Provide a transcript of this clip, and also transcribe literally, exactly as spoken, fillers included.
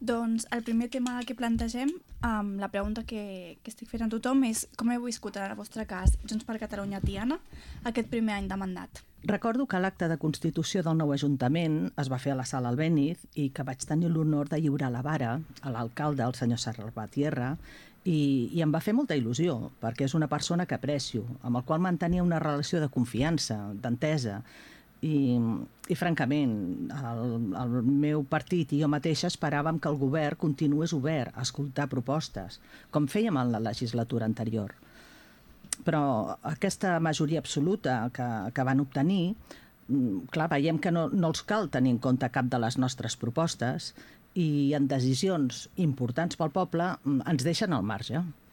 Doncs el primer tema que plantegem, um, la pregunta que, que estic fent a tothom és com heu viscut en el vostre cas Junts per Catalunya Tiana aquest primer any de mandat? Recordo que l'acte de constitució del nou Ajuntament es va fer a la sala Albéniz i que vaig tenir l'honor de lliurar la vara a l'alcalde, el senyor Salvatierra, i, i em va fer molta il·lusió, perquè és una persona que aprecio, amb el qual mantenia una relació de confiança, d'entesa, i, i francament, el, el meu partit i jo mateixa esperàvem que el govern continués obert a escoltar propostes, com fèiem en la legislatura anterior. Però aquesta majoria absoluta que, que van obtenir, clar, veiem que no, no els cal tenir en compte cap de les nostres propostes i en decisions importants pel poble ens deixen al marge.